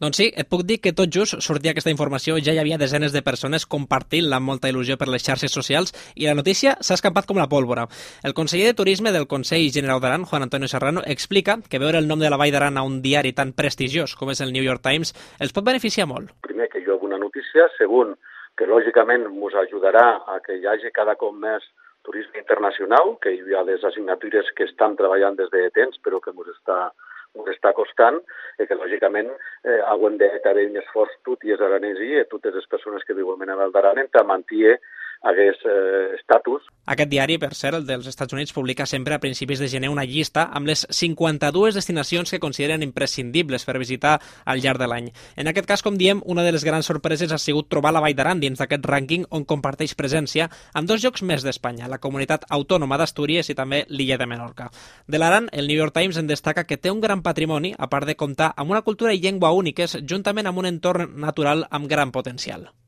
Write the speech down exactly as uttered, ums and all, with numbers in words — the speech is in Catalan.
Doncs sí, et puc dir que tot just sortia aquesta informació, ja hi havia desenes de persones compartint-la amb molta il·lusió per les xarxes socials i la notícia s'ha escampat com la pólvora. El conseller de Turisme del Consell General d'Aran, Juan Antonio Serrano, explica que veure el nom de la Vall d'Aran a un diari tan prestigiós com és el New York Times els pot beneficiar molt. Primer, que hi ha una notícia. Segon, que lògicament ens ajudarà a que hi hagi cada cop més turisme internacional, que hi ha les assignatures que estan treballant des de temps, però que ens està ens està costant, i que lògicament eh, haurem de fer un esforç tot i els aranesi i totes les persones que viuen a Val d'Aran per mantenir aquest eh, estatus. Aquest diari, per cert, el dels Estats Units, publica sempre a principis de gener una llista amb les cinquanta-dues destinacions que consideren imprescindibles per visitar al llarg de l'any. En aquest cas, com diem, una de les grans sorpreses ha sigut trobar la Vall d'Aran dins d'aquest rànquing on comparteix presència amb dos llocs més d'Espanya, la comunitat autònoma d'Astúries i també l'illa de Menorca. De l'Aran, el New York Times en destaca que té un gran patrimoni, a part de comptar amb una cultura i llengua úniques, juntament amb un entorn natural amb gran potencial.